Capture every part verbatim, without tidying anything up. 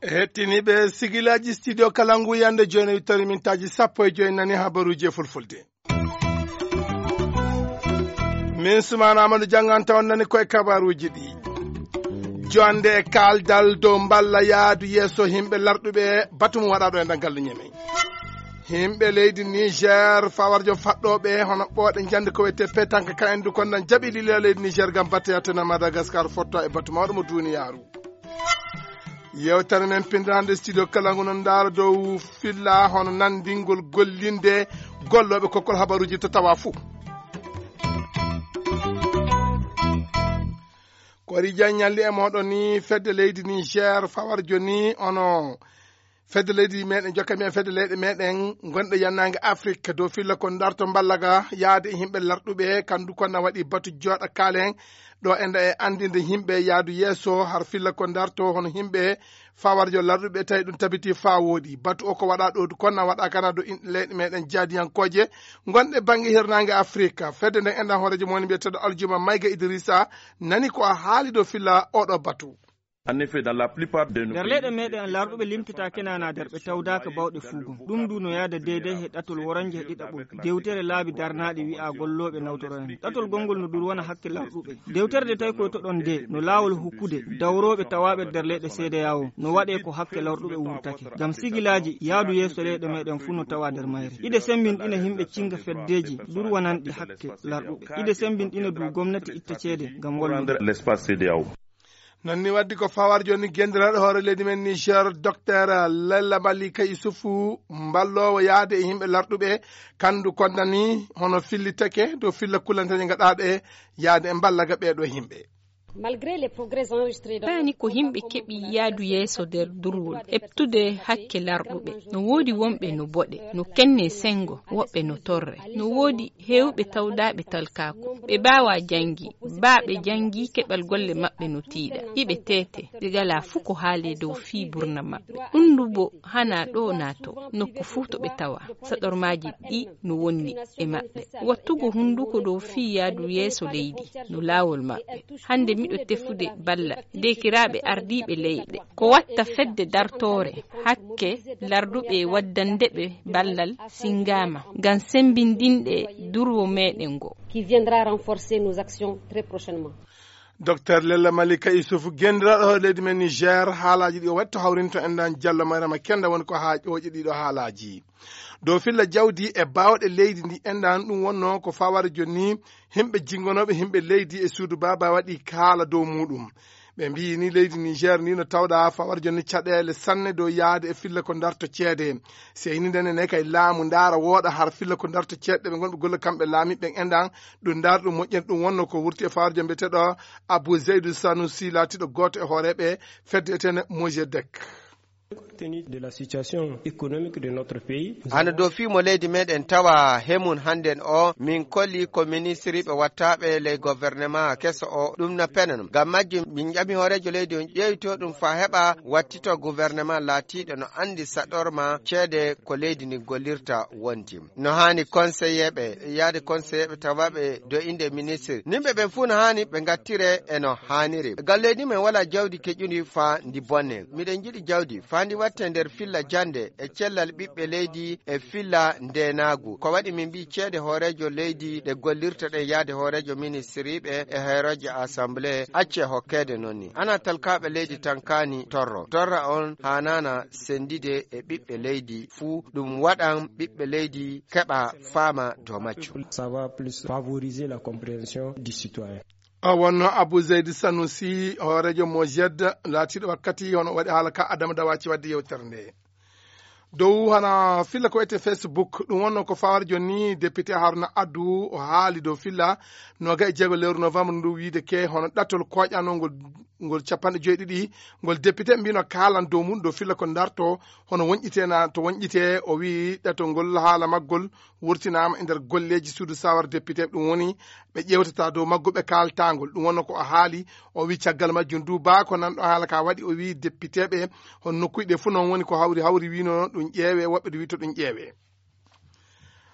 Hettiniiɓe sigilaaji studio Kalangu, yande jooni wittori mintaaji sappo e joy nani habaruuji e fulfulde. Min Sumaana Amadou jannganta on nani koye kabaruuji ɗi. Jonde e kaaldal dow mballa yaadu yeeso yimɓe larɗuɓe batu mum waɗaaɗo e ndangal ñeme. Yimɓe leydi Niger, fawarjo faɗɗooɓe hono ɓooɗe njande ko wiyetee petanque ka endu kon nan jaɓi lila leydi Niger ngam batte yattena Madagascar fotta e batu mawɗo mo duniyaaru. Yewtere men pinndande studio Kalangu no ndaara dow filla hono nanndingol gollinde gollooɓe kokkol habaruuji to tawa fuu. Kori Diagne ñalli e mooɗon ni fedde leydi Niger fawarjo ni ono fedde leydi meɗen jokka men fedde leyɗe meɗen gonɗe yannange Afrique dow filla ko darto mballaga yaade e yimɓe larɗuɓe kandu konna waɗi batu jooɗa kaalen ɗo enda e anndinde yimɓe yaadu yeeso har filla ko darto hono yimɓe fawarjo larɗuɓe tawi ɗum tabiti faa wooɗi batu o ko waɗa ɗo konna waɗa kana do in- leyɗe meɗen jaadiyankooje gonɗe bannge hirnaange Afrique. Fedde nden enɗan hooreejo mo woni mbiyeteeɗo Aljuma Mayga Idrissa nani ko a haali dow filla oɗo batu. En effet, dans la plupart de nos nder pays, leyɗe meɗen larɗuɓe limtitaake nana nder ɓe tawdaaka bawɗe fuugo. Ɗum ndu no yaada deydey he ɗatol woranje he ɗiɗaɓol dewtere laabi darnaaɗi wi'a gollooɓe nawtoroyen ɗatol gonngol no dur wona hakke larɗuɓe. Dewtere nde tawi koytoɗon nde no laawol hokkude dawrooɓe tawaaɓe nder leyɗe seedeya o no waɗe ko hakke larɗuɓe wurtake ngam sigilaaji yaadu yeeso leyɗe meɗen fuu no tawa nder mayre. Iɗe semmbinɗina yimɓe cinnga feddeeji durwananɗi hakke larɗuɓe. Iɗe semmbinɗina du gomnati itta ceede ngam wallude. L'espace C D A O. Non ni waddi ko fawar joni gendiraaɗo hoore leydi men Niger, Docteur Lella Malika Yusufu, mballoowo yaade e yimɓe larɗuɓe, kandu kondani hono fillitake dow filla kullanteeje gaɗaaɗe yaade e mballaga ɓeeɗo yimɓe. Malgré les progrès enregistrés dans Paani ko yimɓe keɓi yaadu yeeso nder durwol, eɓtude hakke larɗuɓe. No woodi wonɓe no boɗe, no kenne senngo, woɓɓe no torre. No woodi heewɓe tawdaaɓe talkaaku. Ɓe mbaawaa janngi, baa ɓe janngi keɓal golle maɓɓe no tiiɗa. Iɓe teete, ɓe ngalaa fuu ko haalee dow fii burna maɓɓe. Ɗum ndu bo hanaa ɗoo naato, nokku fuu to ɓe tawaa. Saɗormaaji ɗi no wonni e maɓɓe. Wattugo hunnduko dow fii yaadu yeeso leydi no laawol maɓɓe. Hannde miɗo tefude balla deekiraaɓe ardiiɓe leyɗe. Ko watta fedde dartoore hakke larduɓe waddande ɓe ballal singaama ngam semmbindinde durwo meɗen ngo. Qui viendra renforcer nos actions très prochainement. Docteur Lella Malika Issoufou, gendiraaɗo hoore leydi men Niger, haalaaji ɗi o waɗi to hawrinto en ɗan Jallo Mariama Kenda woni ko haa ƴooƴi ɗiɗo haalaaji. Dow filla jawdi e baawɗe leydi ndi enɗan ɗum wonno ko faware jonni himɓe jingonooɓe himɓe leydi e suudu baaba waɗi kaala dow muɗum. Ɓe mbiyi ni leydi Niger ni no tawɗa fawar jonni caɗeele sanne dow yaade e filla ko darto ceede. Seyni nden ne kay laamu ndaara wooɗa har filla ko darto ceeɗe ɓe ngonɓe golle kamɓe laamiɓe ɓen enɗan ɗum ndaara ɗum moƴƴere ɗum wonno ko wurti e fawar jonni mbiyeteɗo Abou Zeydou Sanoussi laatiɗo gooto e hooreeɓe fedde etene Mojedek. Compte tenu de la situation économique de notre pays, hano dow fii mo leydi meɗen tawa hemun hannden o min koli ko ministriɓe wattaɓe ley gouvernement keso o ɗum no penanom ngam majjum min ƴami hoorejo leydi on ƴeewto ɗum fa heɓa wattito gouvernement laatiɗo no andi saɗorma ceede ko leydi ndi gollirta wonti no haani conseilleɓe yaade conseilleɓe tawaɓe do inde ministre nimɓe ɓen fuu no haani ɓe ngattire e no haaniri ngam leydi men wala jawdi keƴundi fa ndi bonne miɗen jiɗi jawdi fa ndi watte nder filla jande e cellal ɓiɓɓe leydi e filla ndenaagu ko waɗi min mbi ceede hoorejo leydi ɗe gollirta ɗen yaade hoorejo ministriɓe e hoorejo assemblée acce hokkeede noon ni ana talkaaɓe leydi tan kaani torro torra on haanaana senndide e ɓiɓɓe leydi fuu ɗum waɗan ɓiɓɓe leydi keɓa faama dow majjum. Ça va plus favoriser la compréhension du citoyen. O wonno Abou Zeydi Sanusi hoorejo Mojed laatiiɗo wakkati hono waɗi haala ka Adama Dawaci wadde yewtere nde. Dow hana filla ko wiyetee Facebook ɗum wonno ko fawar jonni député Haruna Addu o haali dow filla noga e jeego lewru novembre ndu wiide ke hono ɗattol koƴanongol ngol capanɗe joyi ɗiɗi ngol député mbino kaalan dow mum dow filla ko darto hono wonƴitena to wonƴite o wi ɗattol ngol haala maggol wurtinaama e nder golleeji suudu sawar député ɗum woni ɓe ƴeewtata dow maggu ɓe kaaltangol ɗum wonno ko o haali o wi caggal majjum du ba ko nanɗo haala ka waɗi o wi député ɓe hon nokkuji ɗe fuu noon woni ko hawri hawri wino ɗum ƴeewe woɓɓe du wi to ɗum ƴeewe.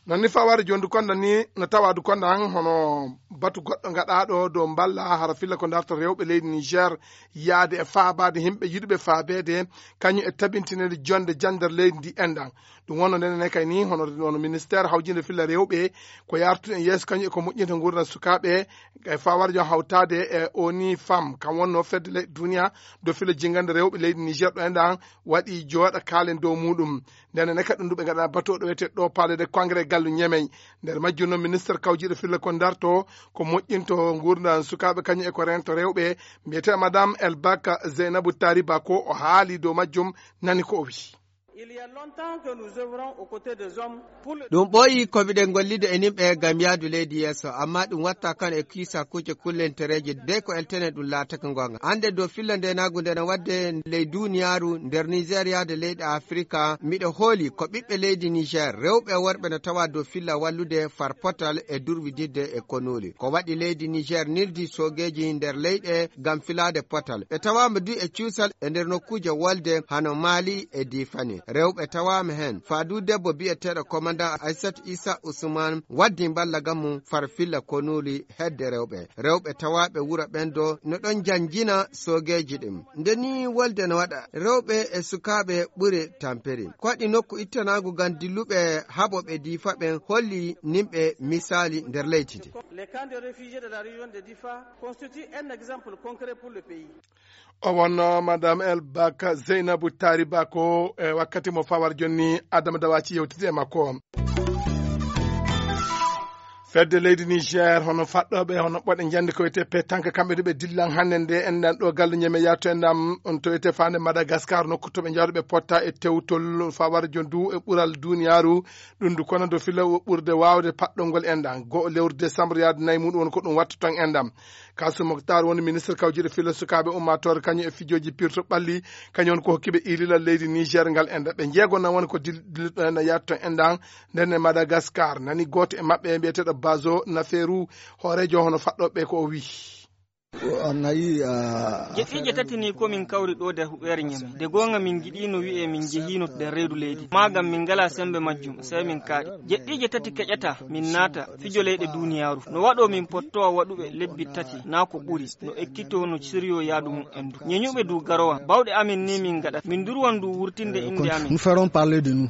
Non ni faware jondu konda ni no tawa du konda an hono batu goɗɗo gaɗaɗo dow mballa hara filla ko darta rewɓe leydi Niger yaade e faabaade yimɓe yiɗuɓe faabeede kañum e tabintinede jonde jandar leydi ndi enɗan. Ɗum wonno ndenen e kay ni hono, hono ministère hawjinde filla rewɓe ko yartude en yeeso kañum e ko moƴƴinta nguurndam sukaaɓe e faware jon hawtaade e oni fam kam wonno fedde leyɗe duniya do filla jingande rewɓe leydi Niger ɗo enɗan waɗi jooɗa kaalen dow muɗum. Ndenen e kadi ɗum ɓe ngaɗa batu oɗo wiyete ɗo palais de congrès gallu Ñemey. Nder majjum noon ministre kawjiɗo filla ko darto ko moƴƴinto nguurndam sukaaɓe kañum e ko rento rewɓe mbiyete madame Elbaka Zeynabu Tariba ko o haali dow majjum. Nani ko o wiyi. Il y a longtemps que nous œuvrons aux côtés des hommes pour le Ɗum ɓooyi ko miɗen gollide e nimɓe ngam yahdu leydi yeeso, amma ɗum watta kan e kiisa kuuje kullentereeje de ko eltene ɗum laatake goonga. Hannde dow filla ndenaagu nde no waɗde ley duniyaaru nder Nigeria de leyɗe Afrika, miɗo hooli ko ɓiɓɓe leydi Niger, rewɓe e worɓe no tawa dow filla wallude far potal e durwididde e konuuli. Ko waɗi leydi Niger nildi soogeeji nder leyɗe ngam filaade potal. Ɓe tawaama du e cuusal e nder nokkuuje wolde hano Mali e Difani. Rewɓe tawaama heen. Faadu debbo biyeteeɗo komandan Aissat Isa Usman waddi mballa ngam mum far filla konuuli hedde rewɓe. Rewɓe tawaaɓe wuro ɓen do no ɗon janjina soogeeji ɗin. Nde ni wolde no waɗa, rewɓe e sukaaɓe ɓuri tampere. Ko waɗi nokku ittanaagu ngam dilluɓe haɓooɓe Difa ɓen holli nimɓe misaali nder leydi ndi. Les camps de réfugiés de la région de Difa constituent un exemple concret pour le pays. O wonno madame El Baka Zeynabu Tariba ko e wakkati mo fawar jonni Adama Dawaci yewtide e makko. Fedde leydi Niger hono faɗɗoɓe hono ɓoɗe jande ko wiyete petanque kamɓe de ɓe dillan hannde nde enɗan ɗo galle ñeme yatto enɗam on to wiyete fande Madagascar nokku to ɓe jawɗo ɓe potta e tewtol fawar jondu e ɓural duniyaru. Ɗum du kono do fila ɓurde wawde paɗɗol ngol enɗan go lewru décembre yaade nayi muɗum won ko ɗum watta ton enɗam. Kasum Moktar woni ministre kawjiɗo filla sukaaɓe ummaatoore kañum e fijooji pirto ɓalli kañum woni ko hokkiɓe ililal leydi Niger ngal enda ɓe jeego nan woni ko dilliɗo ena yatto endan. Nden e Madagascar nani gooto e maɓɓe mbiyeteeɗo Bazo Naferu hooreejo hono faɗɗoɓe ko o wiyi. Jeɗɗiije tati ni ko min kawri ɗo nder huɓeere ñame de goonga min njiɗino wi'e min njehiino nder reedu leydi maagam min ngala sembe majjum sey min kaaɗi. Jeɗɗiije tati keƴata min naata fijo leyɗe duniyaaru no waɗo min pottowa waɗuɓe lebbi tati naa ko ɓuri no ekkito no siryo yaadu mum en du ñeñuɓe du garowa bawɗe amin ni min ngaɗat min durwan du wurtinde innde amin. Nous ferons parler de nous.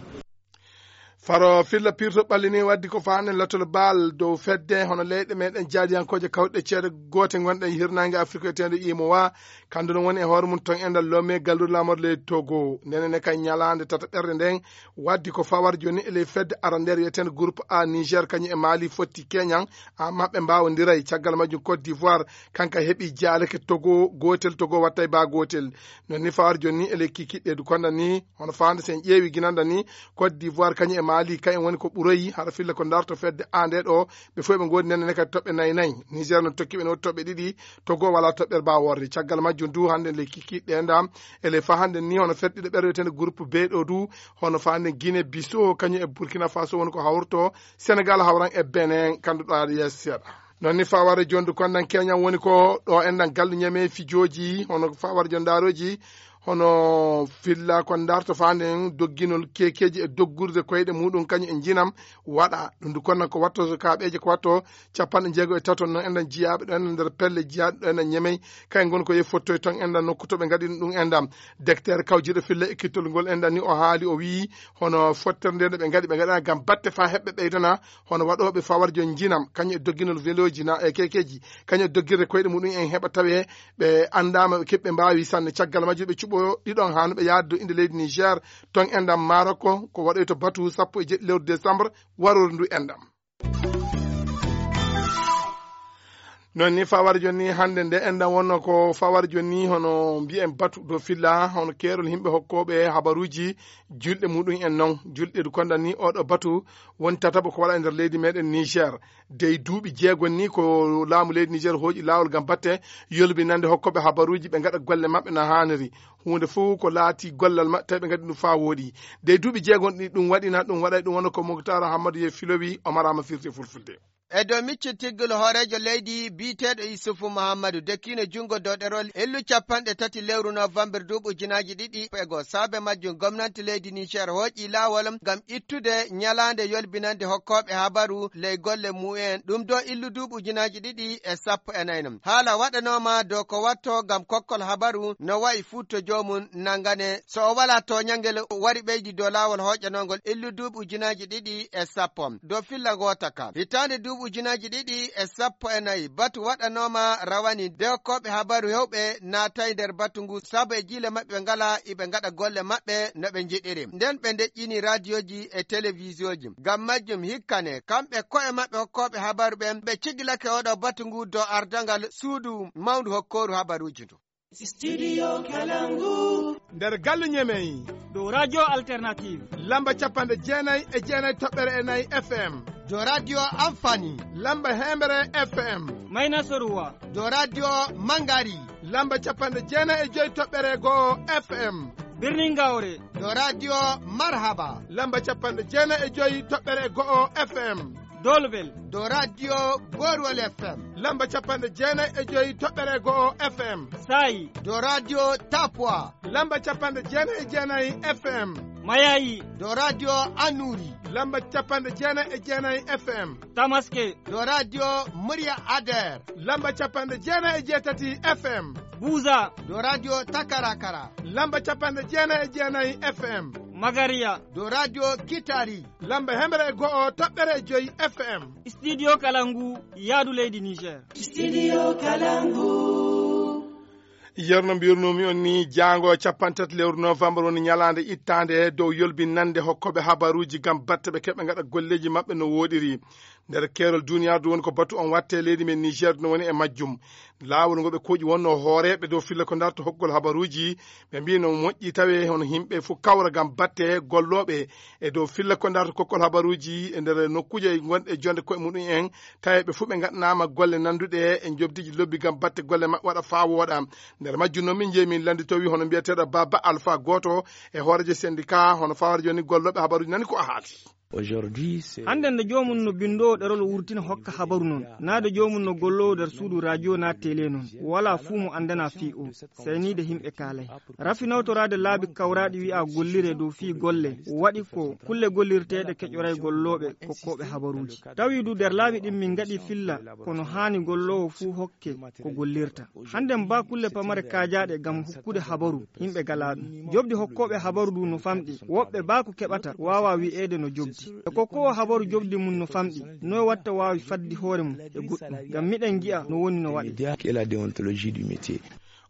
Faro filla pirto ɓallini waddi ko faane latol baal dow fedde hono leyɗe meɗen jaadiyankooje kawɗe ceede goote gonɗe e hirnaange Afrique e teende imo wa. Kandu no woni e hoore mum ton e nder lomme gallude laamorde leydi Togo ndenen e kay ñalaande tata ɓerde nden waddi ko fawar joni e ley fedde ara nder wiyeteende groupe A Niger kañum e Mali fotti keñan. Amma ɓe mbaawondiray caggal majjum Côte d'Ivoire kanka heɓi jaaleke Togo gootel Togo wattay ba gootel. Non ni fawar joni ni e ley kikiɗɗe du konda ni hono fawande sen ƴeewi ginanda ni Côte d'Ivoire kañum e Mali kañum woni ko ɓuroyi hara filla ko darto fedde A nde ɗo. Ɓe fof ɓe ngoodi nene ne kadi toɓɓe nayi nayi. Niger no tokki ɓe no woodi toɓɓe ɗiɗi. Togo wala toɓɓere ba worre caggal majjum du hannde le kikiɗɗe ndam ele fa hannde ni hono fedde ɗiɗo ɓerɗe wiyetende groupe B ɗo du hono fa hannde Guinée Bissau kañum e Burkina Faso woni ko hawrto. Sénégal hawran e Benin kandu ɗo aɗa yeeso seeɗa. Non ni faware jondu kondan keñan woni ko ɗo enɗan gallu ñame fijooji hono faware jondaroji hono filla ko darto fanden dogginol kekeji e doggurde koyɗe muɗum kañum e jinam. Waɗa ɗum du konnan ko watto kaɓeje ko watto capanɗe jeego e tato non enɗan jiyaaɓe ɗo enɗan nder pelle jiyaaɗe ɗo enɗan ñemey. Kay ngon ko ye fottoy ton enɗan nokku to ɓe ngaɗi ɗum enɗan. Decteur kawjiɗo filla e kittol ngol enɗan ni o haali o wiyi hono fottere nde nde ɓe ngaɗi ɓe ngaɗana gam batte fa heɓɓe ɓeydana hono waɗooɓe fawarjo njinam kañum e dogginol veloji na e kekeji kañum e doggirde koyɗe muɗum en heɓa tawe ɓe anndaama ɓe keɓɓe mbaawi sanne caggal majjum ɓe cuɓo ɗiɗon haa no ɓe yaade dow innde leydi Niger ton enɗam Maroko ko waɗoyto batu sappo e jeɗɗi lewru décembre warori ndu enɗam. Non ni fawar joni hannde nde enɗam wonno ko fawar joni hono mbiyen batu dow filla hono keerol yimɓe hokkooɓe habaruuji julɗe muɗum en non julɗe du konda ni oɗo batu woni tataɓo ko waɗa e nder leydi meɗen Niger. Dey duuɓi jeegon ni ko laamu leydi Niger hooƴi laawol ngam batte yolbinande hokkooɓe habaruuji ɓe ngaɗa golle maɓɓe no haaniri. Huunde fof ko laati gollal maɓɓe tawi ɓe ngaɗi ɗum faa wooɗi. Dey duuɓi jeegon ɗi ɗum waɗina ɗum waɗay ɗum wona ko Moktar Hammadu ye filowi o maraama firti fulfulde. E dow micci tiggol hooreejo leydi biyeteeɗo Isufu Muhammadu dekkiino junngo dow ɗerol illu capanɗe tati lewru novembre duuɓi ujunaaji ɗiɗi e goo. Saabe majjum gomnanti leydi Niger hooƴi laawol ngam ittude ñalaande yolbinande hokkooɓe habaru ley golle mu'en. Ɗum dow illu duuɓi ujunaaji ɗiɗi e sappo e nayi non. Haala waɗanooma dow ko wattoo ngam kokkol habaru no wayi fuu to joomum nanngane. So o walaa tooñangel wari ɓeydi dow laawol hooƴanoongol illu duuɓi ujunaaji ɗiɗi e sappo. Dow filla ngoota ka. Hitaande duuɓi ujunaaji ɗiɗi e sappo e nayi, batu waɗanooma rawani nde hokkooɓe habaru hewɓe naatay nder batu ngu sabu e jiile maɓɓe ngalaa iɓe ngaɗa golle maɓɓe no ɓe njiɗiri. Nden ɓe ndeƴƴini raadiyooji e telewiziyooji. Ngam majjum hikkane, kamɓe ko'e maɓɓe hokkooɓe habaru ɓen, ɓe cigilake oɗo batu ngu dow ardangal suudu mawndu hokkooru habaruuji ndu. Studio Kalangu. Nder galle Ñemey. Dow Radio Alternative. Lamba capanɗe jeenayi e jeenayi toɓɓere e nayi F M. Dow Radio Amfani. Lamba heemere F M. Mayna Soruwa. Dow Radio Mangari. Lamba capanɗe jeenayi e joyi toɓɓere go'o F M. Birnin Gawre. Dow Radio Marhaba. Lamba capanɗe jeenayi e joyi toɓɓere go'o F M. Dolbel. Dow Radio Borwol F M. Lamba capanɗe jeenayi e joyi toɓɓere go'o F M. Saayi. Dow Radio Tapwa. Lamba capanɗe jeenayi e jeenayi F M. Mayayi. Dow Radio Anuri. Lamba capanɗe jeenayi e jeenayi F M. Tamaske. Dow Radio Murya Ader. Lamba capanɗe jeenayi e jeetati F M. Buza. Dow Radio Takarakara. Lamba capanɗe jeenayi e jeenayi F M. Magariya. Dow Radio Kitari. Lamba hemre e go'o toɓɓere e joyi F M. Studio Kalangu, yaadu leydi Niger. Studio Kalangu. Yerno mbirnumi on ni, jaango capanɗe tati lewru novembre woni ñalaande ittaande dow yolbinande hokkooɓe habaruuji ngam batte ɓe keɓa ngaɗa golleeji maɓɓe no wooɗiri. Nder keerol duniyaaru du woni ko batu on watte, leydi men Niger no woni e majjum. Laawol ngol ɓe kooƴi wonno hooreeɓe dow filla ko darto hokkol habaruuji, ɓe mbii no moƴƴi tawe hono yimɓe fof kawra ngam batte gollooɓe e dow filla ko darto kokkol habaruuji e nder nokkuuje gonɗe jonde koye muɗum en, tawi ɓe fof ɓe ngaɗanaama golle nannduɗe e njobdiiji lobbi ngam batte golle maɓɓe waɗa faa wooɗa. Nder majjum noon min njeyi min lannditowi hono mbiyeteeɗo Baba Alpha, gooto e hooreejo syndicat hono fawaade jooni gollooɓe habaruuji, nani ko a haali. Aujourd'hui, c'est Hannde nde joomum no binndoowo ɗerol wurtina hokka habaru noon, naa nde joomum no golloowo nder suudu radio naa télé noon, walaa fuu mo anndana fii o, seyniide yimɓe kaalay. Rafi nawtoraade laabi kawraaɗi wi'a golliree dow fii golle, waɗi ko kulle gollirteeɗe keƴoray gollooɓe kokkooɓe habaruuji. Tawi du nder laabi ɗin min ngaɗi filla kono haani golloowo fuu hokke ko gollirta. Hannde mbaa kulle pamare kaajaaɗe ngam hokkude habaru, yimɓe galaa ɗum. Jobdi hokkooɓe habaru du no famɗi. Woɓɓe baa ko keɓata waawaa wi'eede no jobdi. E kokkoowo habaru jobdi mum no famɗi, noy watta waawi faddi hoore mum e goɗɗum? Ngam miɗen ngi'a no woni no waɗi. Média, qui est la déontologie du métier.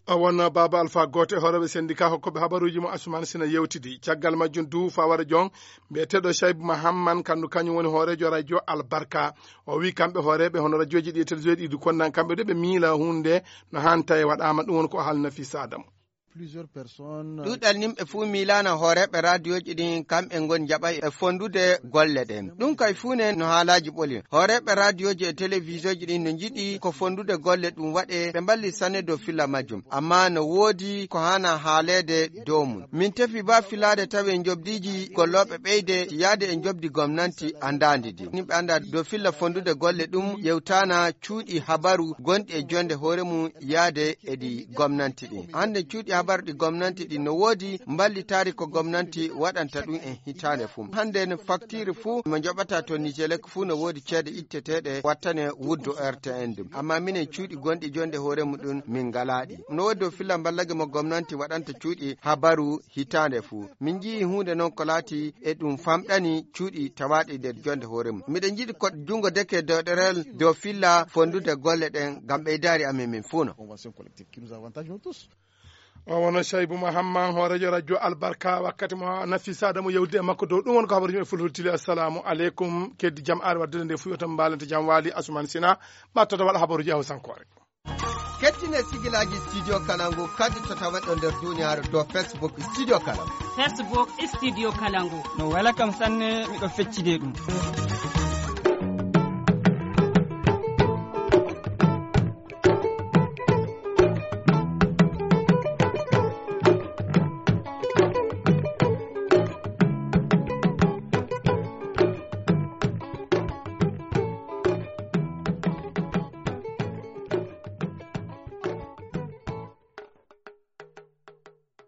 O wonno Baba Alpha, gooto e hooreeɓe syndicat hokkooɓe habaruuji mo Asuman Sina yewtidi. Caggal majjum du fawara jon, mbiyeteeɗo Shaibu Mahamman, kandu kañum woni hooreejo radio Albarka. O wi kamɓe hooreeɓe hono radiooji ɗi e télévision ɗi du konnan, kamɓe de ɓe miila huunde no haani tawi waɗaama, ɗum woni ko o haalna fii Sadam. Plusieurs personnes. Ɗuuɗal nimɓe fuu miilaana hooreeɓe raadiyooji ɗin, kamɓe ngoni jaɓay e fondude golle ɗen. Ɗum kay fuu ne no haalaaji ɓoli. Hooreeɓe raadiyooji e telewizooji ɗin no njiɗi ko fondude golle ɗum waɗe, ɓe mballi sanne dow filla majjum. Ammaa no woodi ko haana haaleede dow mum. Min tefi baa filaade tawi e njobdiiji gollooɓe ɓeyde yaade e njobdi gomnanti anndaandi ndi. Nimɓe anndaa dow filla fondude golle ɗum yewtaana cuuɗi habaru gonɗi e jonde hoore mum yaade e ɗi gomnanti ɗin. Hannde cuuɗi habaru ɗi gomnanti ɗin no woodi mballitaari ko gomnanti waɗanta ɗum en hitaande fuu. Hannde no faktiire fuu mo njoɓata to Nijelek fuu no woodi ceede itteteeɗe wattane wuddu R T N ɗum. Ammaa minen cuuɗi gonɗi jonde hoore muɗum min ngalaa ɗi. No woodi dow filla mballage mo gomnanti waɗanta cuuɗi habaru hitaande fuu. Min njiyii huunde noon ko laati e ɗum famɗani cuuɗi tawaaɗi nder jonde hoore mum. Miɗen njiɗi ko junngo deke dow ɗerel dow filla fondude golle ɗen ngam ɓeydaari amen min fuu no. Convention collective qui nous avantage nous tous. O wonno Shaibu Mahamman, hooreejo radio Albarka, wakkati mo Nafisa Adamu yewtidi e makko dow ɗum woni ko habaruuji men fulfulde tili. Assalamu aleykum. Keddi jam aari waɗde nde fuu yo tan mbaalante jam waali Asuman Sina, ɓattoto waɗa habaruuji e Hawsankoore. Kettine sigilaaji Studio Kalangu kadi to taweɗo nder duniyaaru dow Facebook Studio Kalangu. Facebook Studio Kalangu. No wela kam sanne, miɗo feccide ɗum.